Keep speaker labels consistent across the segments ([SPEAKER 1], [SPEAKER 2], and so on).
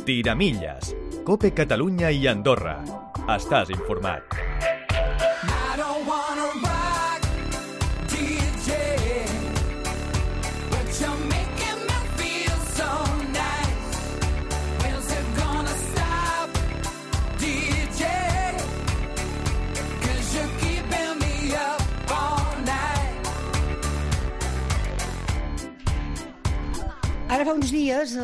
[SPEAKER 1] Tiramilles. COPE Catalunya i Andorra. Estàs informat.
[SPEAKER 2] Ara fa uns dies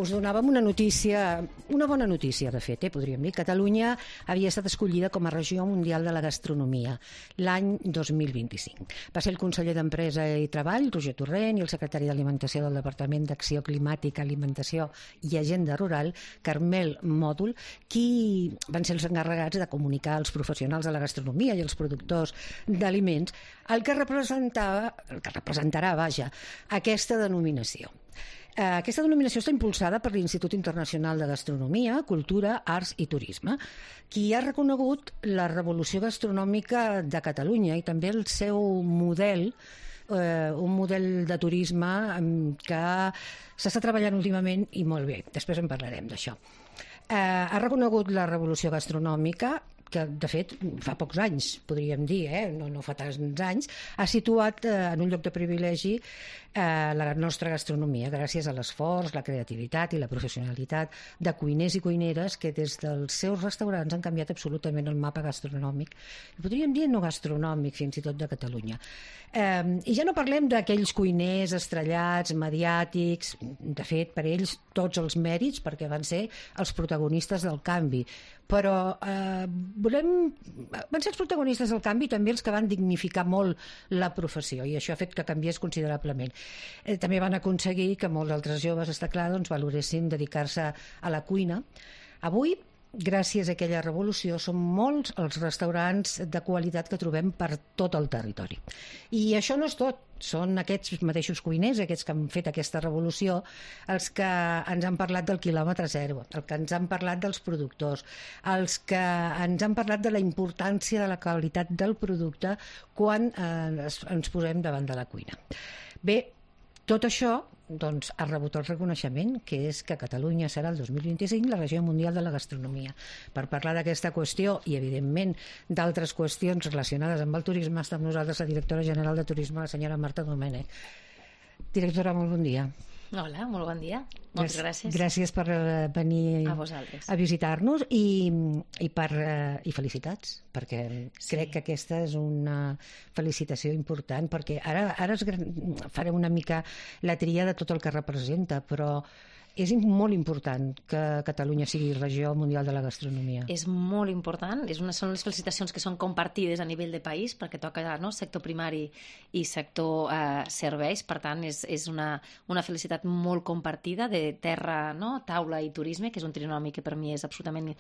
[SPEAKER 2] us donàvem una notícia, una bona notícia de fet, podríem dir. Catalunya havia estat escollida com a regió mundial de la gastronomia l'any 2025. Va ser el conseller d'Empresa i Treball, Roger Torrent, i el secretari d'Alimentació del Departament d'Acció Climàtica, Alimentació i Agenda Rural, Carmel Mòdol, qui van ser els encarregats de comunicar als professionals de la gastronomia i als productors d'aliments el que representarà, aquesta denominació. Aquesta denominació està impulsada per l'Institut Internacional de Gastronomia, Cultura, Arts i Turisme, qui ha reconegut la revolució gastronòmica de Catalunya i també el seu model, un model de turisme que s'està treballant últimament i molt bé. Després en parlarem d'això. Ha reconegut la revolució gastronòmica, que de fet fa pocs anys, podríem dir, no fa tants anys, ha situat en un lloc de privilegi la nostra gastronomia, gràcies a l'esforç, la creativitat i la professionalitat de cuiners i cuineres que des dels seus restaurants han canviat absolutament el mapa gastronòmic, podríem dir no gastronòmic fins i tot de Catalunya. I ja no parlem d'aquells cuiners estrellats, mediàtics, de fet per ells tots els mèrits perquè van ser els protagonistes del canvi, però van ser els protagonistes del canvi també els que van dignificar molt la professió i això ha fet que canviés considerablement. També van aconseguir que molts altres joves, està clar, valoressin dedicar-se a la cuina. Avui, gràcies a aquella revolució, són molts els restaurants de qualitat que trobem per tot el territori. I això no és tot. Són aquests mateixos cuiners, aquests que han fet aquesta revolució, els que ens han parlat del quilòmetre zero, els que ens han parlat dels productors, els que ens han parlat de la importància de la qualitat del producte quan ens posem davant de la cuina. Bé, tot això ha rebut el reconeixement, que és que Catalunya serà el 2025 la regió mundial de la gastronomia. Per parlar d'aquesta qüestió i, evidentment, d'altres qüestions relacionades amb el turisme, està amb nosaltres la directora general de Turisme, la senyora Marta Domènech. Directora, molt bon dia.
[SPEAKER 3] Hola, molt bon dia. Moltes gràcies.
[SPEAKER 2] Gràcies per venir
[SPEAKER 3] a
[SPEAKER 2] visitar-nos i felicitats, perquè crec que aquesta és una felicitació important, perquè ara farem una mica la tria de tot el que representa, però és molt important que Catalunya sigui regió mundial de la gastronomia.
[SPEAKER 3] És molt important, són les felicitacions que són compartides a nivell de país, perquè toca sector primari i sector serveis, per tant és una felicitat molt compartida de terra, taula i turisme, que és un trinomi que per mi és absolutament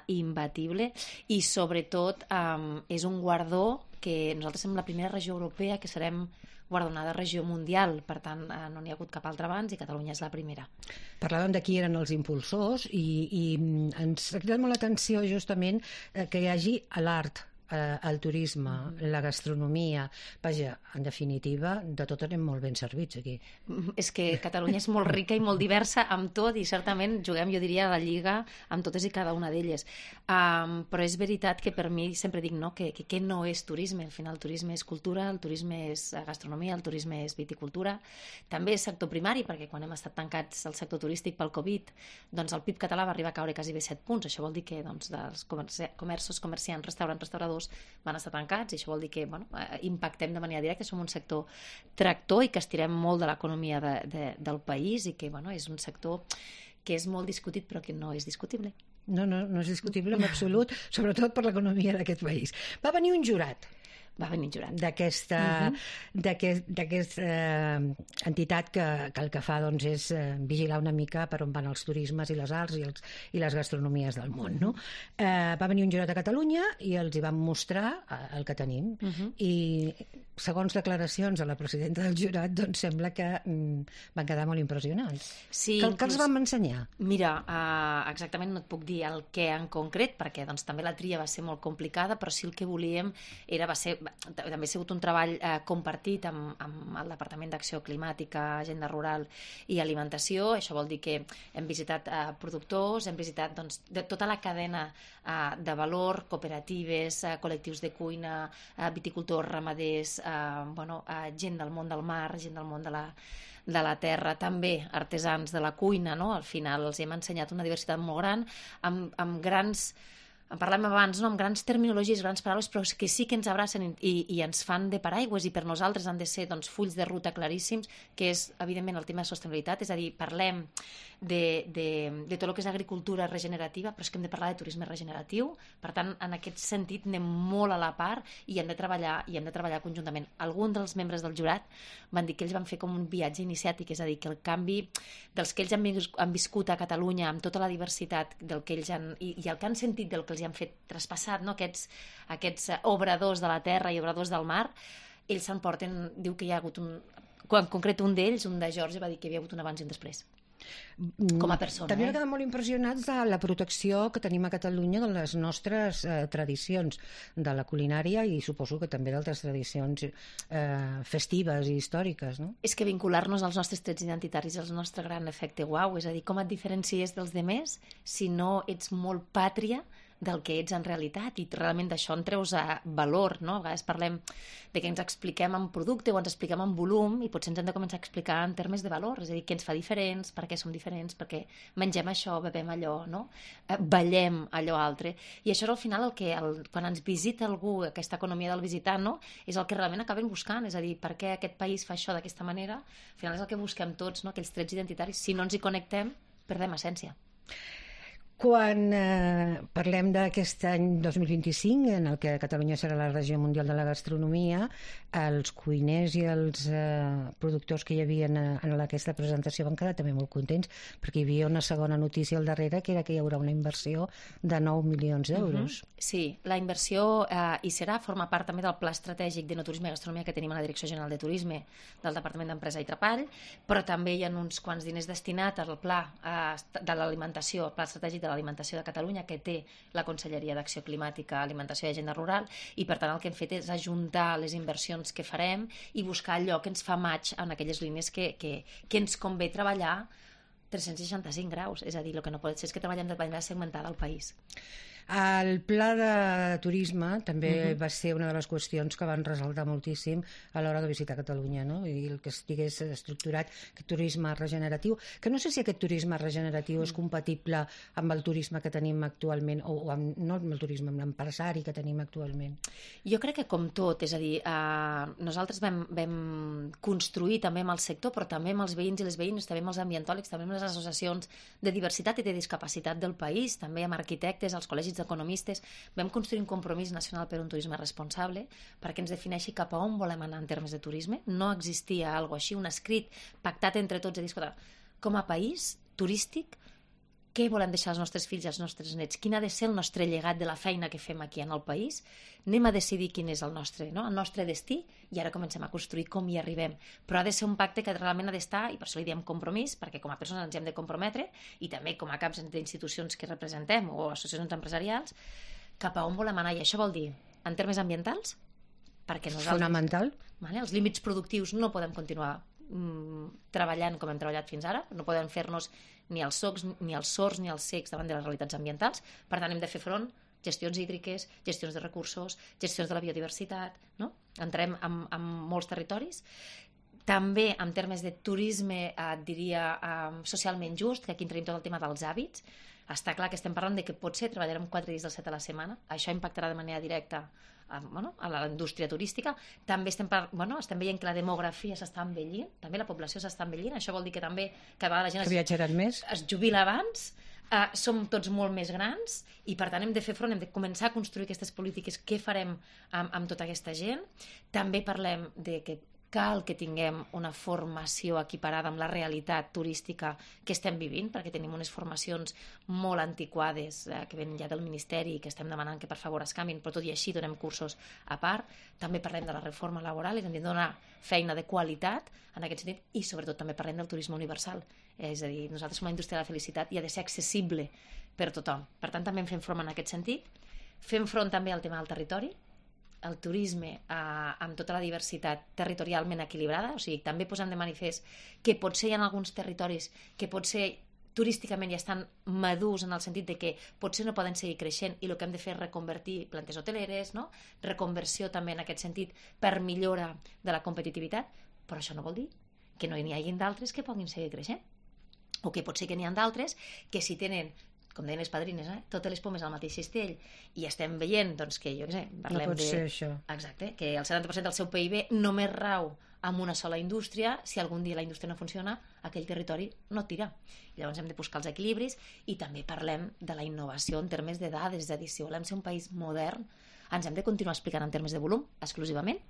[SPEAKER 3] imbatible, i sobretot és un guardó que nosaltres som la primera regió europea que serem guardonada regió mundial, per tant no n'hi ha hagut cap altra abans i Catalunya és la primera.
[SPEAKER 2] Parlàvem de qui eren els impulsors i ens ha cridat molt l'atenció justament que hi hagi l'art, el turisme, la gastronomia. Vaja, en definitiva, de tot anem molt ben servits aquí.
[SPEAKER 3] És que Catalunya és molt rica i molt diversa amb tot i certament juguem, jo diria, a la lliga amb totes i cada una d'elles. Però és veritat que per mi sempre dic que no és turisme. Al final el turisme és cultura, el turisme és gastronomia, el turisme és viticultura. També és sector primari, perquè quan hem estat tancats al sector turístic pel Covid, doncs el PIB català va arribar a caure quasi bé 7 punts. Això vol dir que dels comerços, comerciants, restaurants, restauradors van estar tancats i això vol dir que impactem de manera directa, som un sector tractor i que estirem molt de l'economia del país i que és un sector que és molt discutit però que no és discutible.
[SPEAKER 2] No és discutible en absolut, sobretot per l'economia d'aquest país. Va venir un jurat d'aquesta entitat que el que fa és vigilar una mica per on van els turismes i les arts i les gastronomies del món, no? Va venir un jurat a Catalunya i els hi vam mostrar el que tenim i segons declaracions de la presidenta del jurat sembla que van quedar molt impressionats.
[SPEAKER 3] Sí,
[SPEAKER 2] que els vam ensenyar?
[SPEAKER 3] Mira, exactament no et puc dir el què en concret perquè també la tria va ser molt complicada, però sí el que volíem va ser també ha sigut un treball compartit amb el Departament d'Acció Climàtica, Agenda Rural i Alimentació. Això vol dir que hem visitat productors, hem visitat doncs, de tota la cadena de valor, cooperatives, col·lectius de cuina, viticultors, ramaders, gent del món del mar, gent del món de la terra, també artesans de la cuina, no? Al final els hem ensenyat una diversitat molt gran, amb grans, en parlem abans, no? Amb grans terminologies, grans paraules, però que sí que ens abracen i ens fan de paraigües, i per nosaltres han de ser doncs, fulls de ruta claríssims, que és, evidentment, el tema de sostenibilitat, és a dir, parlem de tot el que és agricultura regenerativa, però és que hem de parlar de turisme regeneratiu. Per tant, en aquest sentit anem molt a la part i hem de treballar conjuntament. Alguns dels membres del jurat van dir que ells van fer com un viatge iniciàtic, és a dir, que el canvi dels que ells han viscut a Catalunya amb tota la diversitat del que ells han, i el que han sentit del que els han fet traspassat, no? Aquests obradors de la terra i obradors del mar, ells s'emporten, diu que hi ha hagut en concret un d'ells, un de Geòrgia, va dir que hi havia hagut un abans i un després. Com a persona.
[SPEAKER 2] També m'he quedat molt impressionats de la protecció que tenim a Catalunya de les nostres tradicions, de la culinària i suposo que també d'altres tradicions festives i històriques, no?
[SPEAKER 3] És que vincular-nos als nostres trets identitaris és el nostre gran efecte uau, és a dir, com et diferencies dels demés si no ets molt pàtria del que ets en realitat, i realment d'això en treus valor, no? A vegades parlem de que ens expliquem en producte o ens expliquem en volum, i potser ens hem de començar a explicar en termes de valor, és a dir, què ens fa diferents, per què som diferents, perquè mengem això, bebem allò, no? Ballem allò altre, i això és al final quan ens visita algú, aquesta economia del visitant, no? És el que realment acabem buscant, és a dir, per què aquest país fa això d'aquesta manera, al final és el que busquem tots, no? Aquells trets identitaris. Si no ens hi connectem, perdem essència.
[SPEAKER 2] Quan parlem d'aquest any 2025, en el que Catalunya serà la regió mundial de la gastronomia, els cuiners i els productors que hi havia en aquesta presentació van quedar també molt contents, perquè hi havia una segona notícia al darrere, que era que hi haurà una inversió de 9 milions d'euros.
[SPEAKER 3] Sí, la inversió hi serà, forma part també del Pla Estratègic de Turisme i Gastronomia que tenim a la Direcció General de Turisme del Departament d'Empresa i Treball, però també hi ha uns quants diners destinats al Pla de l'Alimentació, el Pla Estratègic de l'Alimentació de Catalunya, que té la Conselleria d'Acció Climàtica, Alimentació i Agenda Rural, i per tant el que hem fet és ajuntar les inversions que farem i buscar allò que ens fa match en aquelles línies que ens convé treballar 365 graus, és a dir, el que no pot ser és que treballem de manera segmentada al país.
[SPEAKER 2] El pla de turisme també va ser una de les qüestions que van ressaltar moltíssim a l'hora de visitar Catalunya, no? I el que estigués estructurat, aquest turisme regeneratiu, que no sé si aquest turisme regeneratiu és compatible amb el turisme que tenim actualment, o amb, no amb el turisme, amb l'empresari que tenim actualment.
[SPEAKER 3] Jo crec que com tot, és a dir, nosaltres vam construir també amb el sector, però també amb els veïns i les veïnes, també amb els ambientòlegs, també amb les associacions de diversitat i de discapacitat del país, també amb arquitectes, els col·legis d'economistes, vam construir un compromís nacional per un turisme responsable perquè ens defineixi cap a on volem anar en termes de turisme. No existia algo així, un escrit pactat entre tots, a dir, escolta, com a país turístic, què volem deixar als nostres fills i als nostres nets? Quin ha de ser el nostre llegat de la feina que fem aquí en el país? Anem a decidir quin és el nostre destí, i ara comencem a construir com hi arribem. Però ha de ser un pacte que realment ha d'estar, i per això li diem compromís, perquè com a persones ens hem de comprometre, i també com a caps d'institucions que representem o associacions empresarials, cap a on volem anar. I això vol dir, en termes ambientals, perquè nosaltres...
[SPEAKER 2] Fonamental.
[SPEAKER 3] Els límits productius no podem continuar treballant com hem treballat fins ara, no podem fer-nos ni els sords ni els cecs davant de les realitats ambientals. Per tant, hem de fer front gestions hídriques, gestions de recursos, gestions de la biodiversitat, no? Entrem en molts territoris. També en termes de turisme, diria, socialment just, que aquí en tenim tot el tema dels hàbits. Està clar que estem parlant de que potser treballarem 4 dies dels 7 a la setmana. Això impactarà de manera directa a la indústria turística. També estem veient que la demografia s'està envellint, també la població s'està envellint. Això vol dir que també cada vegada la gent
[SPEAKER 2] que viatjaran més,
[SPEAKER 3] es jubila abans, som tots molt més grans, i per tant hem de fer front, hem de començar a construir aquestes polítiques. Què farem amb tota aquesta gent? També parlem de que cal que tinguem una formació equiparada amb la realitat turística que estem vivint, perquè tenim unes formacions molt antiquades que venen ja del Ministeri i que estem demanant que per favor es canviïn, però tot i així donem cursos a part. També parlem de la reforma laboral i hem de donar feina de qualitat en aquest sentit, i sobretot també parlem del turisme universal. És a dir, nosaltres som la indústria de la felicitat i ha de ser accessible per tothom. Per tant, també en fem front en aquest sentit. Fem front també al tema del territori, el turisme amb tota la diversitat territorialment equilibrada, o sigui, també posem de manifest que potser hi ha alguns territoris que potser turísticament ja estan madurs en el sentit de que potser no poden seguir creixent i el que hem de fer és reconvertir plantes hoteleres, no? Reconversió també en aquest sentit per millora de la competitivitat, però això no vol dir que no n'hi hagi d'altres que puguin seguir creixent. O que potser que n'hi ha d'altres que si tenen, com deien les padrines, totes les pomes al mateix cistell i estem veient doncs, que, jo què sé, parlem
[SPEAKER 2] no pot ser això.
[SPEAKER 3] Exacte, que el 70% del seu PIB només rau amb una sola indústria. Si algun dia la indústria no funciona, aquell territori no tira. I llavors hem de buscar els equilibris i també parlem de la innovació en termes de dades, és a dir, si volem ser un país modern, ens hem de continuar explicant en termes de volum, exclusivament,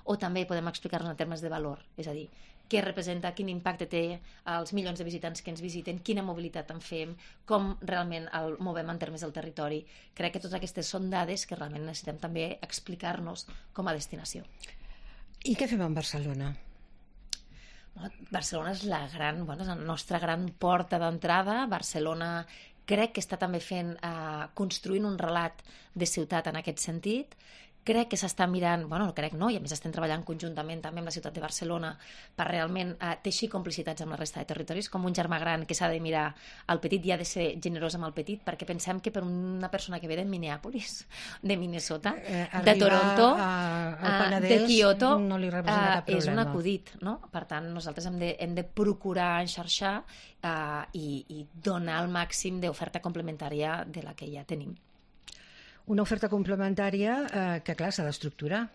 [SPEAKER 3] o també podem explicar-nos en termes de valor, és a dir, què representa, quin impacte té als milions de visitants que ens visiten, quina mobilitat en fem, com realment el movem en termes del territori. Crec que totes aquestes són dades que realment necessitem també explicar-nos com a destinació.
[SPEAKER 2] I què fem amb Barcelona?
[SPEAKER 3] Barcelona és és la nostra gran porta d'entrada. Barcelona crec que està també construint un relat de ciutat en aquest sentit. Crec que s'està mirant, no crec no, i a més estem treballant conjuntament també amb la ciutat de Barcelona per realment teixir complicitats amb la resta de territoris, com un germà gran que s'ha de mirar al petit i ha de ser generós amb el petit, perquè pensem que per una persona que ve de Minneapolis, de Minnesota, de Toronto, de Kyoto,
[SPEAKER 2] no li representa cap problema.
[SPEAKER 3] És un acudit, no? Per tant, nosaltres hem de procurar enxarxar i donar el màxim d'oferta complementària de la que ja tenim.
[SPEAKER 2] Una oferta complementària que, clar, s'ha d'estructurar.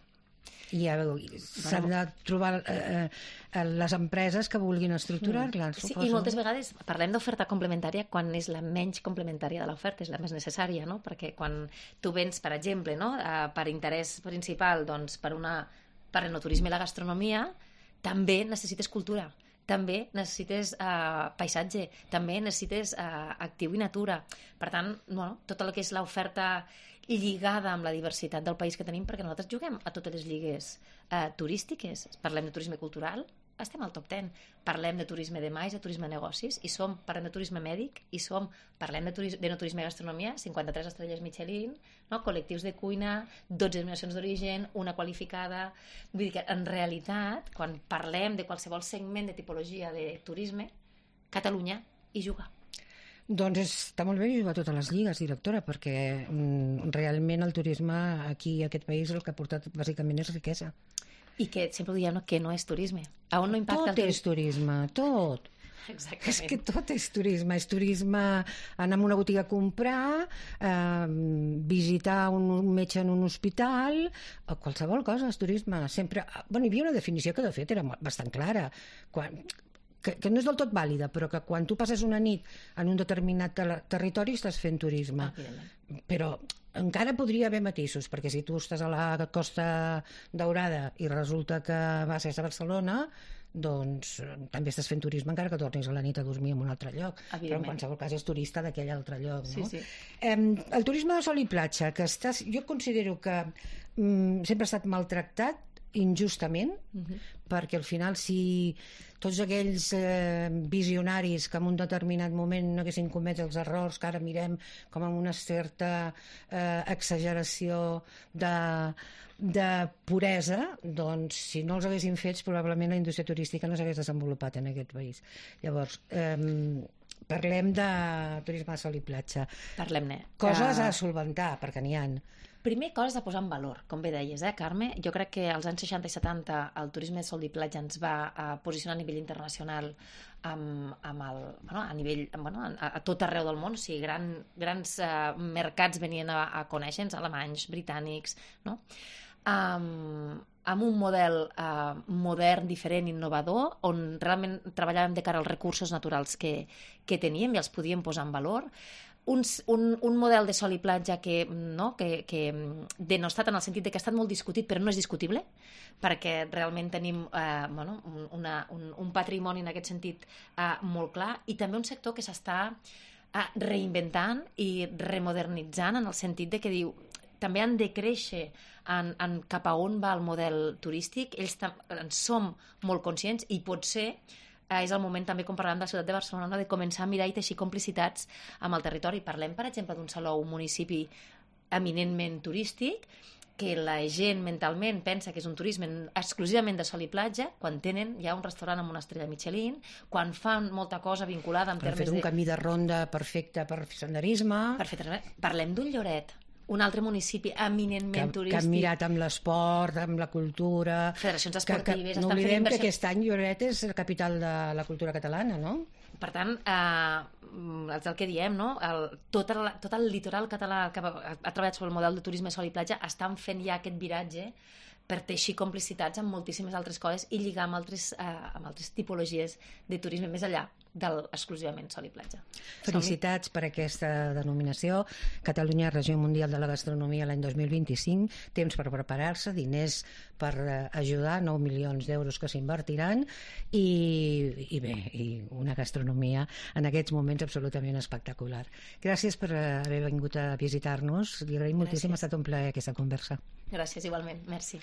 [SPEAKER 2] I s'han de trobar les empreses que vulguin estructurar-la.
[SPEAKER 3] Sí, i moltes vegades parlem d'oferta complementària quan és la menys complementària de l'oferta, és la més necessària, no? Perquè quan tu vens, per exemple, no? Per interès principal, doncs, per l'enoturisme i la gastronomia, també necessites cultura, també necessites paisatge, també necessites actiu i natura. Per tant, tot el que és l'oferta lligada amb la diversitat del país que tenim, perquè nosaltres juguem a totes les lligues turístiques. Parlem de turisme cultural, estem al top 10. Parlem de turisme de mais, de turisme de negocis, parlem de turisme mèdic, parlem de no turisme i gastronomia, 53 estrelles Michelin, col·lectius de cuina, 12 denominacions d'origen, una qualificada. Vull dir que, en realitat, quan parlem de qualsevol segment de tipologia de turisme, Catalunya hi juga.
[SPEAKER 2] Doncs està molt bé jugar a totes les lligues, directora, perquè realment el turisme aquí a aquest país el que ha portat bàsicament és riquesa.
[SPEAKER 3] I que sempre ho diem que no és turisme. A on no impacta
[SPEAKER 2] tot és turisme, tot.
[SPEAKER 3] Exactament.
[SPEAKER 2] És que tot és turisme anar a una botiga a comprar, visitar un metge en un hospital, qualsevol cosa és turisme. Sempre, hi havia una definició que de fet era bastant clara, que no és del tot vàlida, però que quan tu passes una nit en un determinat territori estàs fent turisme. Però encara podria haver matisos, perquè si tu estàs a la Costa Daurada i resulta que vas a Barcelona, doncs també estàs fent turisme encara que tornis a la nit a dormir en un altre lloc, però en qualsevol cas és turista d'aquell altre lloc, no?
[SPEAKER 3] Sí.
[SPEAKER 2] El turisme de sol i platja, que jo considero que sempre ha estat maltractat injustament, perquè al final si tots aquells visionaris que en un determinat moment no haguessin comès els errors que ara mirem com amb una certa exageració de puresa, doncs si no els haguessin fets probablement la indústria turística no s'hagués desenvolupat en aquest país. Llavors, parlem de turisme de sol i platja.
[SPEAKER 3] Parlem-ne.
[SPEAKER 2] Coses a solventar, perquè n'hi ha.
[SPEAKER 3] Primer, coses a posar en valor, com bé deies, Carme? Jo crec que als anys 60 i 70 el turisme de sol i platja ens va posicionar a nivell internacional a tot arreu del món, o sigui, grans mercats venien a conèixer-nos, alemanys, britànics, no? Amb un model modern, diferent, innovador, on realment treballàvem de cara als recursos naturals que teníem i els podíem posar en valor. Un model de sol i platja que denostat en el sentit que ha estat molt discutit, però no és discutible, perquè realment tenim un patrimoni en aquest sentit molt clar, i també un sector que s'està reinventant i remodernitzant en el sentit de que diu també han de créixer cap a on va el model turístic. Ells en som molt conscients i potser és el moment també, com parlàvem de la ciutat de Barcelona, de començar a mirar i teixir complicitats amb el territori. Parlem, per exemple, d'un Salou, un municipi eminentment turístic, que la gent mentalment pensa que és un turisme exclusivament de sol i platja, quan tenen ja un restaurant amb una estrella Michelin, quan fan molta cosa vinculada en termes
[SPEAKER 2] un camí de ronda perfecte per fer senderisme.
[SPEAKER 3] Perfecte. Parlem d'un Lloret, un altre municipi eminentment turístic.
[SPEAKER 2] Que han mirat amb l'esport, amb la cultura...
[SPEAKER 3] Federacions esportives...
[SPEAKER 2] No oblidem que aquest any Lloret és la capital de la cultura catalana, no?
[SPEAKER 3] Per tant, és el que diem, no? Tot el litoral català que ha treballat sobre el model de turisme sol i platja estan fent ja aquest viratge per teixir complicitats amb moltíssimes altres coses i lligar amb altres tipologies de turisme més enllà del exclusivament sol i platja.
[SPEAKER 2] Felicitats per aquesta denominació. Catalunya, Regió Mundial de la Gastronomia l'any 2025, temps per preparar-se, diners per ajudar, 9 milions d'euros que s'invertiran i bé, i una gastronomia en aquests moments absolutament espectacular. Gràcies per haver vingut a visitar-nos. Li agraïm moltíssim, ha estat un plaer aquesta conversa.
[SPEAKER 3] Gràcies, igualment. Merci.